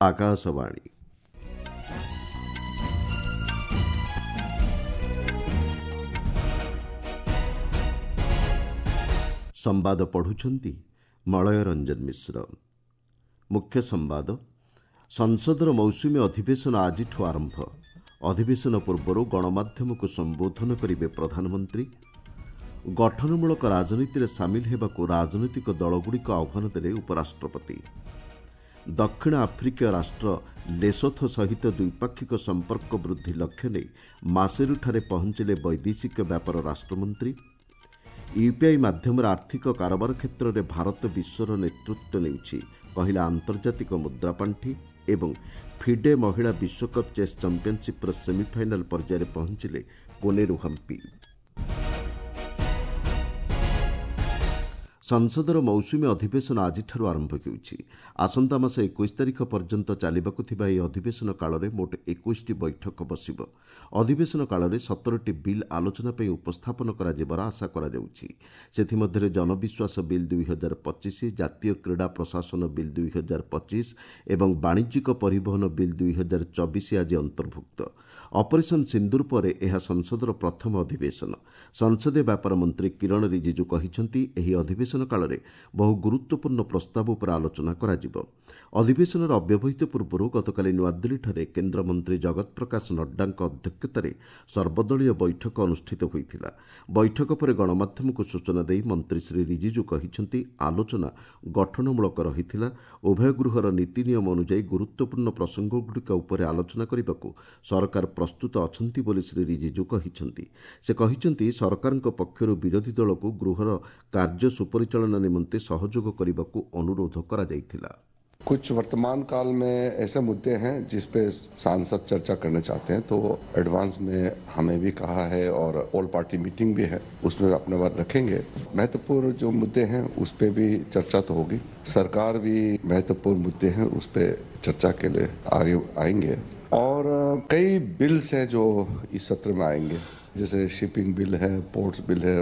ଆକାଶବାଣୀ। ସମ୍ବାଦ ପଢ଼ୁଛନ୍ତି ମଳୟ ରଞ୍ଜନ ମିଶ୍ର। ମୁଖ୍ୟ ସମ୍ବାଦ। ସଂସଦର ମୌସୁମୀ ଅଧିବେଶନ ଆଜିଠୁ ଆରମ୍ଭ। ଅଧିବେଶନ ପୂର୍ବରୁ ଗଣମାଧ୍ୟମକୁ ସମ୍ବୋଧନ କରିବେ ପ୍ରଧାନମନ୍ତ୍ରୀ। ଗଠନମୂଳକ ରାଜନୀତିରେ ସାମିଲ ହେବାକୁ ରାଜନୈତିକ ଦଳଗୁଡ଼ିକ ଆହ୍ୱାନ ଦେଲେ ଉପରାଷ୍ଟ୍ରପତି। ଦକ୍ଷିଣ ଆଫ୍ରିକୀୟ ରାଷ୍ଟ୍ର ଲେସୋଥୋ ସହିତ ଦ୍ୱିପାକ୍ଷିକ ସମ୍ପର୍କ ବୃଦ୍ଧି ଲକ୍ଷ୍ୟ ନେଇ ମାସେରୁଠାରେ ପହଞ୍ଚିଲେ ବୈଦେଶିକ ବ୍ୟାପାର ରାଷ୍ଟ୍ରମନ୍ତ୍ରୀ। ୟୁପିଆଇ ମାଧ୍ୟମରେ ଆର୍ଥିକ କାରବାର କ୍ଷେତ୍ରରେ ଭାରତ ବିଶ୍ୱର ନେତୃତ୍ୱ ନେଉଛି, କହିଲା ଆନ୍ତର୍ଜାତିକ ମୁଦ୍ରାପାଣ୍ଠି। ଏବଂ ଫିଡେ ମହିଳା ବିଶ୍ୱକପ୍ ଚେସ୍ ଚାମ୍ପିୟନସିପ୍ର ସେମିଫାଇନାଲ୍ ପର୍ଯ୍ୟାୟରେ ପହଞ୍ଚିଲେ କୋନେରୁ ହମ୍ପି। ସଂସଦର ମୌସୁମୀ ଅଧିବେଶନ ଆଜିଠାରୁ ଆରମ୍ଭ ହେଉଛି। ଆସନ୍ତା ମାସ 21 ତାରିଖ ପର୍ଯ୍ୟନ୍ତ ଚାଲିବାକୁ ଥିବା ଏହି ଅଧିବେଶନ କାଳରେ ମୋଟ 21ଟି ବୈଠକ ବସିବ। ଅଧିବେଶନ କାଳରେ 17ଟି ବିଲ୍ ଆଲୋଚନା ପାଇଁ ଉପସ୍ଥାପନ କରାଯିବାର ଆଶା କରାଯାଉଛି। ସେଥିମଧ୍ୟରେ ଜନବିଶ୍ୱାସ ବିଲ୍ 2025, ଜାତୀୟ କ୍ରୀଡ଼ା ପ୍ରଶାସନ ବିଲ୍ 2025 ଏବଂ ବାଣିଜ୍ୟିକ ପରିବହନ ବିଲ୍ 2024 ଆଜି ଅନ୍ତର୍ଭୁକ୍ତ। ଅପରେସନ୍ ସିନ୍ଦୁର ପରେ ଏହା ସଂସଦର ପ୍ରଥମ ଅଧିବେଶନ। ସଂସଦୀୟ ବ୍ୟାପାର ମନ୍ତ୍ରୀ କିରଣ ରିଜିଜୁ କହିଛନ୍ତି, ଏହି ଅଧିବେଶନ କାଳରେ ବହୁ ଗୁରୁତ୍ୱପୂର୍ଣ୍ଣ ପ୍ରସ୍ତାବ ଉପରେ ଆଲୋଚନା କରାଯିବ। ଅଧିବେଶନର ଅବ୍ୟବହିତ ପୂର୍ବରୁ ଗତକାଲି ନୂଆଦିଲ୍ଲୀଠାରେ କେନ୍ଦ୍ରମନ୍ତ୍ରୀ ଜଗତ ପ୍ରକାଶ ନଡ୍ଡାଙ୍କ ଅଧ୍ୟକ୍ଷତାରେ ସର୍ବଦଳୀୟ ବୈଠକ ଅନୁଷ୍ଠିତ ହୋଇଥିଲା। ବୈଠକ ପରେ ଗଣମାଧ୍ୟମକୁ ସୂଚନା ଦେଇ ମନ୍ତ୍ରୀ ଶ୍ରୀ ରିଜିଜୁ କହିଛନ୍ତି, ଆଲୋଚନା ଗଠନମୂଳକ ରହିଥିଲା। ଉଭୟ ଗୃହର ନୀତି ନିୟମ ଅନୁଯାୟୀ ଗୁରୁତ୍ୱପୂର୍ଣ୍ଣ ପ୍ରସଙ୍ଗଗୁଡ଼ିକ ଉପରେ ଆଲୋଚନା କରିବାକୁ ସରକାର ପ୍ରସ୍ତୁତ ଅଛନ୍ତି ବୋଲି ଶ୍ରୀ ରିଜିଜୁ କହିଛନ୍ତି। ସେ କହିଛନ୍ତି, ସରକାରଙ୍କ ପକ୍ଷରୁ ବିରୋଧୀ ଦଳକୁ ଗୃହର କାର୍ଯ୍ୟ ସୁପରିଚାଳନା ନିମନ୍ତେ ସହଯୋଗ କରିବାକୁ ଅନୁରୋଧ କରାଯାଇଥିଲା। कुछ वर्तमान काल में ऐसे मुद्दे हैं जिस पे सांसद चर्चा करना चाहते हैं, तो एडवांस में हमें भी कहा है और ऑल पार्टी मीटिंग भी है, उसमें अपने बात रखेंगे। महत्वपूर्ण जो मुद्दे हैं उस पर भी चर्चा तो होगी। सरकार भी महत्वपूर्ण मुद्दे हैं उस पर चर्चा के लिए आगे आएंगे और कई बिल्स हैं जो इस सत्र में आएंगे, जैसे शिपिंग बिल है, पोर्ट्स बिल है,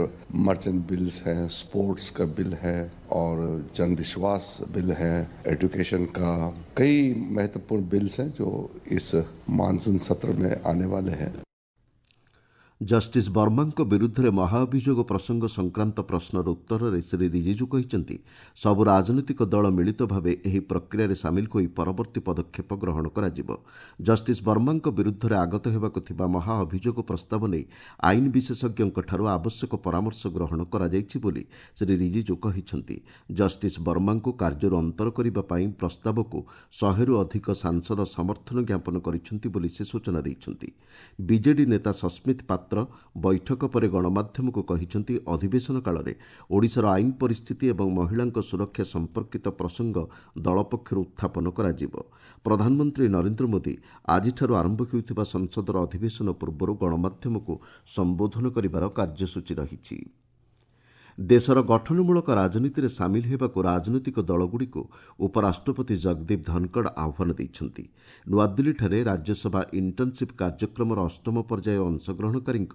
मर्चेंट बिल्स हैं, स्पोर्ट्स का बिल है और जन विश्वास बिल है, एजुकेशन का, कई महत्वपूर्ण बिल्स हैं जो इस मानसून सत्र में आने वाले हैं। ଜଷ୍ଟିସ୍ ବର୍ମାଙ୍କ ବିରୁଦ୍ଧରେ ମହାଅଭିଯୋଗ ପ୍ରସଙ୍ଗ ସଂକ୍ରାନ୍ତ ପ୍ରଶ୍ନର ଉତ୍ତରରେ ଶ୍ରୀ ରିଜିଜୁ କହିଛନ୍ତି, ସବୁ ରାଜନୈତିକ ଦଳ ମିଳିତ ଭାବେ ଏହି ପ୍ରକ୍ରିୟାରେ ସାମିଲ ହୋଇ ପରବର୍ତ୍ତୀ ପଦକ୍ଷେପ ଗ୍ରହଣ କରାଯିବ। ଜଷ୍ଟିସ୍ ବର୍ମାଙ୍କ ବିରୁଦ୍ଧରେ ଆଗତ ହେବାକୁ ଥିବା ମହାଅଭିଯୋଗ ପ୍ରସ୍ତାବ ନେଇ ଆଇନ ବିଶେଷଜ୍ଞଙ୍କଠାରୁ ଆବଶ୍ୟକ ପରାମର୍ଶ ଗ୍ରହଣ କରାଯାଇଛି ବୋଲି ଶ୍ରୀ ରିଜିଜୁ କହିଛନ୍ତି। ଜଷ୍ଟିସ୍ ବର୍ମାଙ୍କୁ କାର୍ଯ୍ୟରୁ ଅନ୍ତର କରିବା ପାଇଁ ପ୍ରସ୍ତାବକୁ 100ରୁ ଅଧିକ ସାଂସଦ ସମର୍ଥନ ଜ୍ଞାପନ କରିଛନ୍ତି ବୋଲି ସେ ସୂଚନା ଦେଇଛନ୍ତି। ବିଜେଡି ନେତା ସସ୍ମିତ ପାତ୍ର ବୈଠକ ପରେ ଗଣମାଧ୍ୟମକୁ କହିଛନ୍ତି, ଅଧିବେଶନ କାଳରେ ଓଡ଼ିଶାର ଆଇନ ପରିସ୍ଥିତି ଏବଂ ମହିଳାଙ୍କ ସୁରକ୍ଷା ସମ୍ପର୍କିତ ପ୍ରସଙ୍ଗ ଦଳ ପକ୍ଷରୁ ଉତ୍ଥାପନ କରାଯିବ। ପ୍ରଧାନମନ୍ତ୍ରୀ ନରେନ୍ଦ୍ର ମୋଦି ଆଜିଠାରୁ ଆରମ୍ଭ ହେଉଥିବା ସଂସଦର ଅଧିବେଶନ ପୂର୍ବରୁ ଗଣମାଧ୍ୟମକୁ ସମ୍ବୋଧନ କରିବାର କାର୍ଯ୍ୟସୂଚୀ ରହିଛି। ଦେଶର ଗଠନମୂଳକ ରାଜନୀତିରେ ସାମିଲ ହେବାକୁ ରାଜନୈତିକ ଦଳଗୁଡ଼ିକୁ ଉପରାଷ୍ଟ୍ରପତି ଜଗଦୀପ ଧନଖଡ଼ ଆହ୍ୱାନ ଦେଇଛନ୍ତି। ନୂଆଦିଲ୍ଲୀଠାରେ ରାଜ୍ୟସଭା ଇଣ୍ଟର୍ଣ୍ଣସିପ୍ କାର୍ଯ୍ୟକ୍ରମର ଅଷ୍ଟମ ପର୍ଯ୍ୟାୟ ଅଂଶଗ୍ରହଣକାରୀଙ୍କ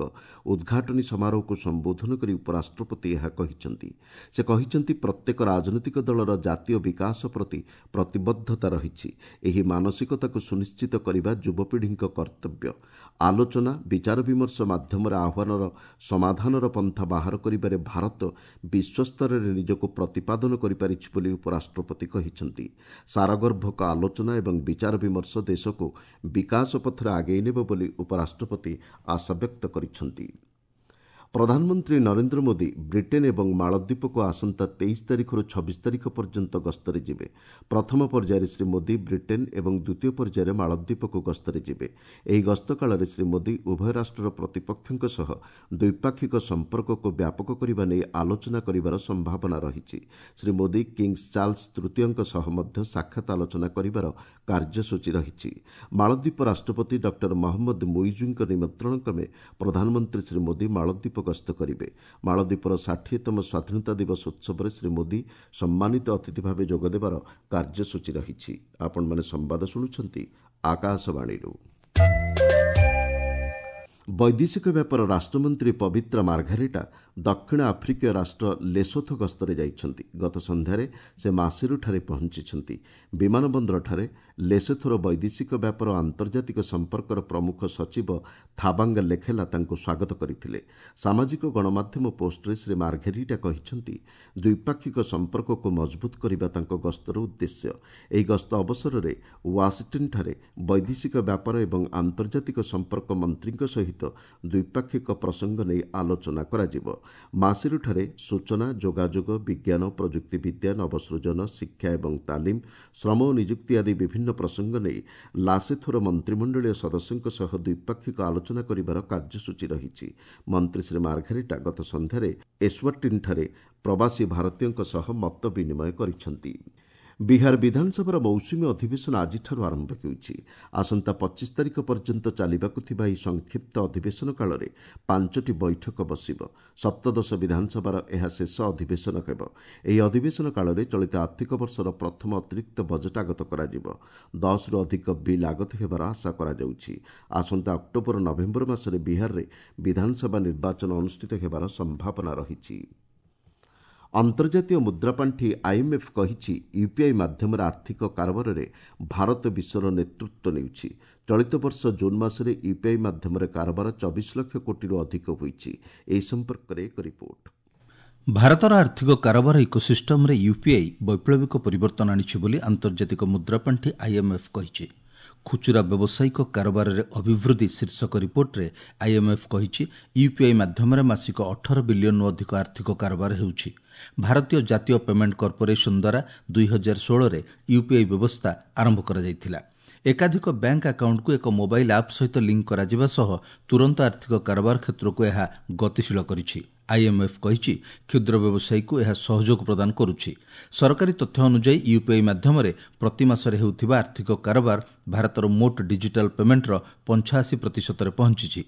ଉଦ୍ଘାଟନୀ ସମାରୋହକୁ ସମ୍ବୋଧନ କରି ଉପରାଷ୍ଟ୍ରପତି ଏହା କହିଛନ୍ତି। ସେ କହିଛନ୍ତି, ପ୍ରତ୍ୟେକ ରାଜନୈତିକ ଦଳର ଜାତୀୟ ବିକାଶ ପ୍ରତି ପ୍ରତିବଦ୍ଧତା ରହିଛି। ଏହି ମାନସିକତାକୁ ସୁନିଶ୍ଚିତ କରିବା ଯୁବପିଢ଼ିଙ୍କ କର୍ତ୍ତବ୍ୟ। ଆଲୋଚନା, ବିଚାର ବିମର୍ଶ ମାଧ୍ୟମରେ ଆହ୍ୱାନର ସମାଧାନର ପନ୍ଥା ବାହାର କରିବାରେ ଭାରତ ବିଶ୍ୱସ୍ତରରେ ନିଜକୁ ପ୍ରତିପାଦନ କରିପାରିଛି ବୋଲି ଉପରାଷ୍ଟ୍ରପତି କହିଛନ୍ତି। ସାରଗର୍ଭକ ଆଲୋଚନା ଏବଂ ବିଚାର ବିମର୍ଶ ଦେଶକୁ ବିକାଶ ପଥରେ ଆଗେଇ ନେବ ବୋଲି ଉପରାଷ୍ଟ୍ରପତି ଆଶାବ୍ୟକ୍ତ କରିଛନ୍ତି। ପ୍ରଧାନମନ୍ତ୍ରୀ ନରେନ୍ଦ୍ର ମୋଦି ବ୍ରିଟେନ୍ ଏବଂ ମାଳଦ୍ୱୀପକୁ ଆସନ୍ତା 23 ତାରିଖରୁ 26 ତାରିଖ ପର୍ଯ୍ୟନ୍ତ ଗସ୍ତରେ ଯିବେ। ପ୍ରଥମ ପର୍ଯ୍ୟାୟରେ ଶ୍ରୀ ମୋଦି ବ୍ରିଟେନ୍ ଏବଂ ଦ୍ୱିତୀୟ ପର୍ଯ୍ୟାୟରେ ମାଳଦ୍ୱୀପକୁ ଗସ୍ତରେ ଯିବେ। ଏହି ଗସ୍ତ କାଳରେ ଶ୍ରୀ ମୋଦି ଉଭୟ ରାଷ୍ଟ୍ରର ପ୍ରତିପକ୍ଷଙ୍କ ସହ ଦ୍ୱିପାକ୍ଷିକ ସମ୍ପର୍କକୁ ବ୍ୟାପକ କରିବା ନେଇ ଆଲୋଚନା କରିବାର ସମ୍ଭାବନା ରହିଛି। ଶ୍ରୀ ମୋଦି କିଙ୍ଗସ୍ ଚାର୍ଲସ ତୃତୀୟଙ୍କ ସହ ମଧ୍ୟ ସାକ୍ଷାତ ଆଲୋଚନା କରିବାର କାର୍ଯ୍ୟସୂଚୀ ରହିଛି। ମାଳଦ୍ୱୀପ ରାଷ୍ଟ୍ରପତି ଡକ୍ଟର ମହମ୍ମଦ ମୁଇଜୁଙ୍କ ନିମନ୍ତ୍ରଣ କ୍ରମେ ପ୍ରଧାନମନ୍ତ୍ରୀ ଶ୍ରୀ ମୋଦି ମାଳଦ୍ୱୀପ ଗସ୍ତ କରିବେ। ମାଳଦ୍ୱୀପର 60ତମ ସ୍ୱାଧୀନତା ଦିବସ ଉତ୍ସବରେ ଶ୍ରୀ ମୋଦି ସମ୍ମାନିତ ଅତିଥି ଭାବେ ଯୋଗଦେବାର କାର୍ଯ୍ୟସୂଚୀ ରହିଛି। ଆପଣମାନେ ସମ୍ବାଦ ଶୁଣୁଛନ୍ତି ଆକାଶବାଣୀରୁ। ବୈଦେଶିକ ବ୍ୟାପାର ରାଷ୍ଟ୍ରମନ୍ତ୍ରୀ ପବିତ୍ରା ମାର୍ଘାରିଟା ଦକ୍ଷିଣ ଆଫ୍ରିକୀୟ ରାଷ୍ଟ୍ର ଲେସୋଥୋ ଗସ୍ତରେ ଯାଇଛନ୍ତି। ଗତ ସନ୍ଧ୍ୟାରେ ସେ ମାସିରୁଠାରେ ପହଞ୍ଚିଛନ୍ତି। ବିମାନ ବନ୍ଦରଠାରେ ଲେସୋଥୋର ବୈଦେଶିକ ବ୍ୟାପାର ଓ ଆନ୍ତର୍ଜାତିକ ସମ୍ପର୍କର ପ୍ରମୁଖ ସଚିବ ଥାବାଙ୍ଗ ଲେଖେଲା ତାଙ୍କୁ ସ୍ୱାଗତ କରିଥିଲେ। ସାମାଜିକ ଗଣମାଧ୍ୟମ ପୋଷ୍ଟରେ ଶ୍ରୀ ମାର୍ଘେରିଟା କହିଛନ୍ତି, ଦ୍ୱିପାକ୍ଷିକ ସମ୍ପର୍କକୁ ମଜବୁତ କରିବା ତାଙ୍କ ଗସ୍ତର ଉଦ୍ଦେଶ୍ୟ। ଏହି ଗସ୍ତ ଅବସରରେ ୱାଶିଂଟନ୍ଠାରେ ବୈଦେଶିକ ବ୍ୟାପାର ଏବଂ ଆନ୍ତର୍ଜାତିକ ସମ୍ପର୍କ ମନ୍ତ୍ରୀଙ୍କ ସହିତ ଦ୍ୱିପାକ୍ଷିକ ପ୍ରସଙ୍ଗ ନେଇ ଆଲୋଚନା କରାଯିବ। ମାସିରୁଠାରେ ସୂଚନା, ଯୋଗାଯୋଗ, ବିଜ୍ଞାନ, ପ୍ରଯୁକ୍ତିବିଦ୍ୟା, ନବସୃଜନ, ଶିକ୍ଷା ଏବଂ ତାଲିମ, ଶ୍ରମ ଓ ନିଯୁକ୍ତି ଆଦି ବିଭିନ୍ନ ପ୍ରସଙ୍ଗ ନେଇ ଲାସେଥୋର ମନ୍ତ୍ରିମଣ୍ଡଳୀୟ ସଦସ୍ୟଙ୍କ ସହ ଦ୍ୱିପାକ୍ଷିକ ଆଲୋଚନା କରିବାର କାର୍ଯ୍ୟସୂଚୀ ରହିଛି। ମନ୍ତ୍ରୀ ଶ୍ରୀ ମାର୍ଘେରିଟା ଗତ ସନ୍ଧ୍ୟାରେ ଏସ୍ୱାଟିନ୍ଠାରେ ପ୍ରବାସୀ ଭାରତୀୟଙ୍କ ସହ ମତ ବିନିମୟ କରିଛନ୍ତି। ବିହାର ବିଧାନସଭାର ମୌସୁମୀ ଅଧିବେଶନ ଆଜିଠାରୁ ଆରମ୍ଭ ହେଉଛି। ଆସନ୍ତା 25 ତାରିଖ ପର୍ଯ୍ୟନ୍ତ ଚାଲିବାକୁ ଥିବା ଏହି ସଂକ୍ଷିପ୍ତ ଅଧିବେଶନ କାଳରେ 5ଟି ବୈଠକ ବସିବ। ସପ୍ତଦଶ ବିଧାନସଭାର ଏହା ଶେଷ ଅଧିବେଶନ ହେବ। ଏହି ଅଧିବେଶନ କାଳରେ ଚଳିତ ଆର୍ଥିକ ବର୍ଷର ପ୍ରଥମ ଅତିରିକ୍ତ ବଜେଟ୍ ଆଗତ କରାଯିବ। 10ରୁ ଅଧିକ ବିଲ୍ ଆଗତ ହେବାର ଆଶା କରାଯାଉଛି। ଆସନ୍ତା ଅକ୍ଟୋବର ନଭେମ୍ବର ମାସରେ ବିହାରରେ ବିଧାନସଭା ନିର୍ବାଚନ ଅନୁଷ୍ଠିତ ହେବାର ସମ୍ଭାବନା ରହିଛି। ଅନ୍ତର୍ଜାତୀୟ ମୁଦ୍ରାପାଣ୍ଠି ଆଇଏମ୍ଏଫ୍ କହିଛି, ୟୁପିଆଇ ମାଧ୍ୟମରେ ଆର୍ଥିକ କାରବାରରେ ଭାରତ ବିଶ୍ୱର ନେତୃତ୍ୱ ନେଉଛି। ଚଳିତ ବର୍ଷ ଜୁନ୍ ମାସରେ ୟୁପିଆଇ ମାଧ୍ୟମରେ କାରବାର 24 ଲକ୍ଷ କୋଟିରୁ ଅଧିକ ହୋଇଛି। ଏହି ସମ୍ପର୍କରେ ଏକ ରିପୋର୍ଟ। ଭାରତର ଆର୍ଥିକ କାରବାର ଇକୋସିଷ୍ଟମରେ ୟୁପିଆଇ ବୈପ୍ଳବିକ ପରିବର୍ତ୍ତନ ଆଣିଛି ବୋଲି ଆନ୍ତର୍ଜାତିକ ମୁଦ୍ରାପାଣ୍ଠି ଆଇଏମ୍ଏଫ୍ କହିଛି। ଖୁଚୁରା ବ୍ୟବସାୟିକ କାରବାରରେ ଅଭିବୃଦ୍ଧି ଶୀର୍ଷକ ରିପୋର୍ଟରେ ଆଇଏମ୍ଏଫ୍ କହିଛି, ୟୁପିଆଇ ମାଧ୍ୟମରେ ମାସିକ 18 ବିଲିୟନରୁ ଅଧିକ ଆର୍ଥିକ କାରବାର ହେଉଛି। ଭାରତୀୟ ଜାତୀୟ ପେମେଣ୍ଟ କର୍ପୋରେସନ ଦ୍ୱାରା 2016ରେ ୟୁପିଆଇ ବ୍ୟବସ୍ଥା ଆରମ୍ଭ କରାଯାଇଥିଲା। ଏକାଧିକ ବ୍ୟାଙ୍କ ଆକାଉଣ୍ଟକୁ ଏକ ମୋବାଇଲ୍ ଆପ୍ ସହିତ ଲିଙ୍କ କରାଯିବା ସହ ତୁରନ୍ତ ଆର୍ଥିକ କାରବାର କ୍ଷେତ୍ରକୁ ଏହା ଗତିଶୀଳ କରିଛି। ଆଇଏମ୍ଏଫ୍ କହିଛି, କ୍ଷୁଦ୍ର ବ୍ୟବସାୟୀକୁ ଏହା ସହଯୋଗ ପ୍ରଦାନ କରୁଛି। ସରକାରୀ ତଥ୍ୟ ଅନୁଯାୟୀ ୟୁପିଆଇ ମାଧ୍ୟମରେ ପ୍ରତି ମାସରେ ହେଉଥିବା ଆର୍ଥିକ କାରବାର ଭାରତର ମୋଟ ଡିଜିଟାଲ ପେମେଣ୍ଟର 85%ରେ ପହଞ୍ଚିଛି।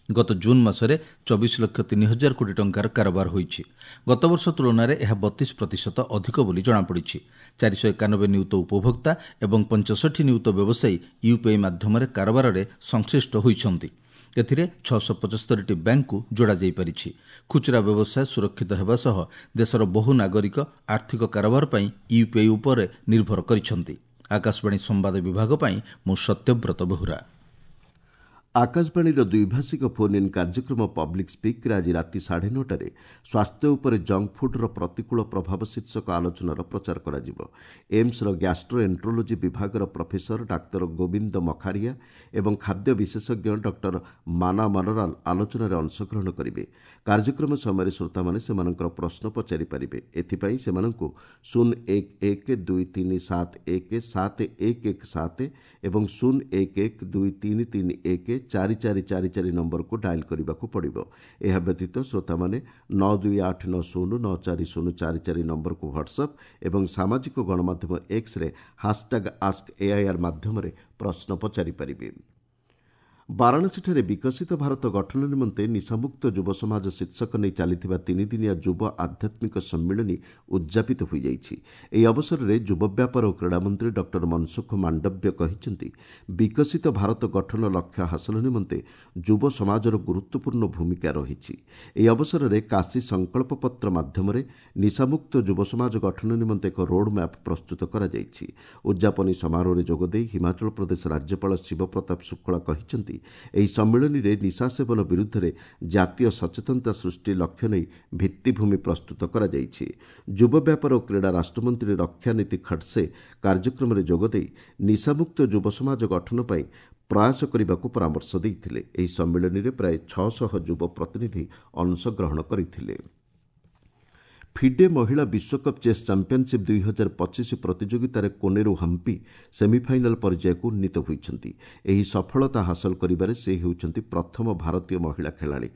ଗତ ଜୁନ୍ ମାସରେ 24 ଲକ୍ଷ 3 ହଜାର କୋଟି ଟଙ୍କାର କାରବାର ହୋଇଛି। ଗତବର୍ଷ ତୁଳନାରେ ଏହା 32% ଅଧିକ ବୋଲି ଜଣାପଡ଼ିଛି। 491 ନିୟୁତ ଉପଭୋକ୍ତା ଏବଂ 65 ନିୟୁତ ବ୍ୟବସାୟୀ ୟୁପିଆଇ ମାଧ୍ୟମରେ କାରବାରରେ ସଂଶ୍ଳିଷ୍ଟ ହୋଇଛନ୍ତି। ଏଥିରେ 675ଟି ବ୍ୟାଙ୍କକୁ ଯୋଡ଼ାଯାଇପାରିଛି। ଖୁଚୁରା ବ୍ୟବସାୟ ସୁରକ୍ଷିତ ହେବା ସହ ଦେଶର ବହୁ ନାଗରିକ ଆର୍ଥିକ କାରବାର ପାଇଁ ୟୁପିଆଇ ଉପରେ ନିର୍ଭର କରିଛନ୍ତି। ଆକାଶବାଣୀ ସମ୍ବାଦ ବିଭାଗ ପାଇଁ ମୁଁ ସତ୍ୟବ୍ରତ ବେହୁରା। ଆକାଶବାଣୀର ଦ୍ୱିଭାଷିକ ଫୋନ୍ ଇନ୍ କାର୍ଯ୍ୟକ୍ରମ ପବ୍ଲିକ୍ ସ୍ପିକ୍ରେ ଆଜି ରାତି 9:30ରେ ସ୍ୱାସ୍ଥ୍ୟ ଉପରେ ଜଙ୍କ ଫୁଡ୍ର ପ୍ରତିକୂଳ ପ୍ରଭାବ ଶୀର୍ଷକ ଆଲୋଚନାର ପ୍ରଚାର କରାଯିବ। ଏମ୍ସର ଗ୍ୟାଷ୍ଟ୍ରୋ ଏଣ୍ଟ୍ରୋଲୋଜି ବିଭାଗର ପ୍ରଫେସର ଡାକ୍ତର ଗୋବିନ୍ଦ ମଖାରିଆ ଏବଂ ଖାଦ୍ୟ ବିଶେଷଜ୍ଞ ଡକ୍ଟର ମାନା ମନରାଲ ଆଲୋଚନାରେ ଅଂଶଗ୍ରହଣ କରିବେ। କାର୍ଯ୍ୟକ୍ରମ ସମୟରେ ଶ୍ରୋତାମାନେ ସେମାନଙ୍କର ପ୍ରଶ୍ନ ପଚାରିପାରିବେ। ଏଥିପାଇଁ ସେମାନଙ୍କୁ 0 1 1 2 3 7 1 7 1 1 7 ଏବଂ 0 1 1 2 3 3 1 4 4 4 4 ନମ୍ବରକୁ ଡାଏଲ୍ କରିବାକୁ ପଡ଼ିବ। ଏହା ବ୍ୟତୀତ ଶ୍ରୋତାମାନେ 9 2 8 9 0 9 4 0 4 4 ନମ୍ବରକୁ ହ୍ୱାଟ୍ସଆପ୍ ଏବଂ ସାମାଜିକ ଗଣମାଧ୍ୟମ ଏକ୍ସରେ ହାସ୍ଟ୍ୟାଗ୍ ଆସ୍କ ଏଆଇଆର୍ ମାଧ୍ୟମରେ ପ୍ରଶ୍ନ ପଚାରିପାରିବେ। ବାରାଣସୀଠାରେ ବିକଶିତ ଭାରତ ଗଠନ ନିମନ୍ତେ ନିଶାମୁକ୍ତ ଯୁବ ସମାଜ ଶୀର୍ଷକ ନେଇ ଚାଲିଥିବା ତିନିଦିନିଆ ଯୁବ ଆଧ୍ୟାତ୍ମିକ ସମ୍ମିଳନୀ ଉଦ୍ଯାପିତ ହୋଇଯାଇଛି। ଏହି ଅବସରରେ ଯୁବ ବ୍ୟାପାର ଓ କ୍ରୀଡ଼ାମନ୍ତ୍ରୀ ଡକ୍ଟର ମନସୁଖ ମାଣ୍ଡବ୍ୟ କହିଛନ୍ତି, ବିକଶିତ ଭାରତ ଗଠନ ଲକ୍ଷ୍ୟ ହାସଲ ନିମନ୍ତେ ଯୁବ ସମାଜର ଗୁରୁତ୍ୱପୂର୍ଣ୍ଣ ଭୂମିକା ରହିଛି। ଏହି ଅବସରରେ କାଶୀ ସଂକଳ୍ପ ପତ୍ର ମାଧ୍ୟମରେ ନିଶାମୁକ୍ତ ଯୁବ ସମାଜ ଗଠନ ନିମନ୍ତେ ଏକ ରୋଡ୍ ମ୍ୟାପ୍ ପ୍ରସ୍ତୁତ କରାଯାଇଛି। ଉଦ୍ଯାପନୀ ସମାରୋହରେ ଯୋଗଦେଇ ହିମାଚଳ ପ୍ରଦେଶ ରାଜ୍ୟପାଳ ଶିବପ୍ରତାପ ଶୁକ୍ଳା କହିଛନ୍ତି, ଏହି ସମ୍ମିଳନୀରେ ନିଶା ସେବନ ବିରୁଦ୍ଧରେ ଜାତୀୟ ସଚେତନତା ସୃଷ୍ଟି ଲକ୍ଷ୍ୟ ନେଇ ଭିତ୍ତିଭୂମି ପ୍ରସ୍ତୁତ କରାଯାଇଛି। ଯୁବ ବ୍ୟାପାର ଓ କ୍ରୀଡ଼ା ରାଷ୍ଟ୍ରମନ୍ତ୍ରୀ ରକ୍ଷାନୀତି ଖଡସେ କାର୍ଯ୍ୟକ୍ରମରେ ଯୋଗଦେଇ ନିଶାମୁକ୍ତ ଯୁବ ସମାଜ ଗଠନ ପାଇଁ ପ୍ରୟାସ କରିବାକୁ ପରାମର୍ଶ ଦେଇଥିଲେ। ଏହି ସମ୍ମିଳନୀରେ ପ୍ରାୟ 600 ଯୁବ ପ୍ରତିନିଧି ଅଂଶଗ୍ରହଣ କରିଥିଲେ। ଫିଡେ ମହିଳା ବିଶ୍ୱକପ୍ ଚେସ୍ ଚାମ୍ପିୟନସିପ୍ 2025 ପ୍ରତିଯୋଗିତାରେ କୋନେରୁ ହମ୍ପି ସେମିଫାଇନାଲ୍ ପର୍ଯ୍ୟାୟକୁ ଉନ୍ନୀତ ହୋଇଛନ୍ତି। ଏହି ସଫଳତା ହାସଲ କରିବାରେ ସେ ହେଉଛନ୍ତି ପ୍ରଥମ ଭାରତୀୟ ମହିଳା ଖେଳାଳି।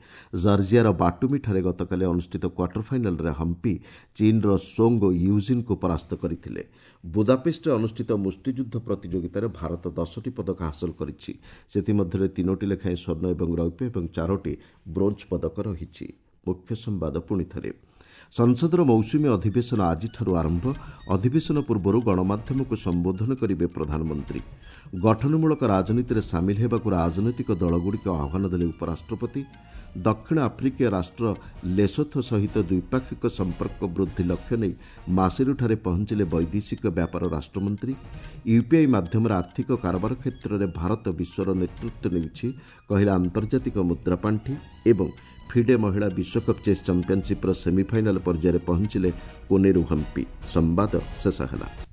ଜର୍ଜିଆର ବାଟୁମିଠାରେ ଗତକାଲି ଅନୁଷ୍ଠିତ କ୍ୱାର୍ଟର ଫାଇନାଲ୍ରେ ହମ୍ପି ଚୀନ୍ର ସୋଙ୍ଗ ୟୁଜିନ୍ଙ୍କୁ ପରାସ୍ତ କରିଥିଲେ। ବୁଦାପେଷ୍ଟରେ ଅନୁଷ୍ଠିତ ମୁଷ୍ଟିଯୁଦ୍ଧ ପ୍ରତିଯୋଗିତାରେ ଭାରତ 10ଟି ପଦକ ହାସଲ କରିଛି। ସେଥିମଧ୍ୟରେ 3ଟି ଲେଖାଏଁ ସ୍ୱର୍ଣ୍ଣ ଏବଂ ରୌପ୍ୟ ଏବଂ 4ଟି ବ୍ରୋଞ୍ଜ ପଦକ ରହିଛି। ମୁଖ୍ୟ ସମ୍ବାଦ ପୁଣିଥରେ। ସଂସଦର ମୌସୁମୀ ଅଧିବେଶନ ଆଜିଠାରୁ ଆରମ୍ଭ। ଅଧିବେଶନ ପୂର୍ବରୁ ଗଣମାଧ୍ୟମକୁ ସମ୍ବୋଧନ କରିବେ ପ୍ରଧାନମନ୍ତ୍ରୀ। ଗଠନମୂଳକ ରାଜନୀତିରେ ସାମିଲ ହେବାକୁ ରାଜନୈତିକ ଦଳଗୁଡ଼ିକୁ ଆହ୍ୱାନ ଦେଲେ ଉପରାଷ୍ଟ୍ରପତି। ଦକ୍ଷିଣ ଆଫ୍ରିକୀୟ ରାଷ୍ଟ୍ର ଲେସୋଥୋ ସହିତ ଦ୍ୱିପାକ୍ଷିକ ସମ୍ପର୍କ ବୃଦ୍ଧି ଲକ୍ଷ୍ୟ ନେଇ ମାସିରୁଠାରେ ପହଞ୍ଚିଲେ ବୈଦେଶିକ ବ୍ୟାପାର ରାଷ୍ଟ୍ରମନ୍ତ୍ରୀ। ୟୁପିଆଇ ମାଧ୍ୟମରେ ଆର୍ଥିକ କାରବାର କ୍ଷେତ୍ରରେ ଭାରତ ବିଶ୍ୱର ନେତୃତ୍ୱ ନେଉଛି, କହିଲା ଆନ୍ତର୍ଜାତିକ ମୁଦ୍ରାପାଣ୍ଠି। ଏବଂ ଫିଡେ ମହିଳା ବିଶ୍ୱକପ୍ ଚେସ୍ ଚାମ୍ପିୟନସିପ୍ର ସେମିଫାଇନାଲ୍ ପର୍ଯ୍ୟାୟରେ ପହଞ୍ଚିଲେ କୋନେରୁ ହମ୍ପି। ସମ୍ବାଦ ଶେଷ ହେଲା।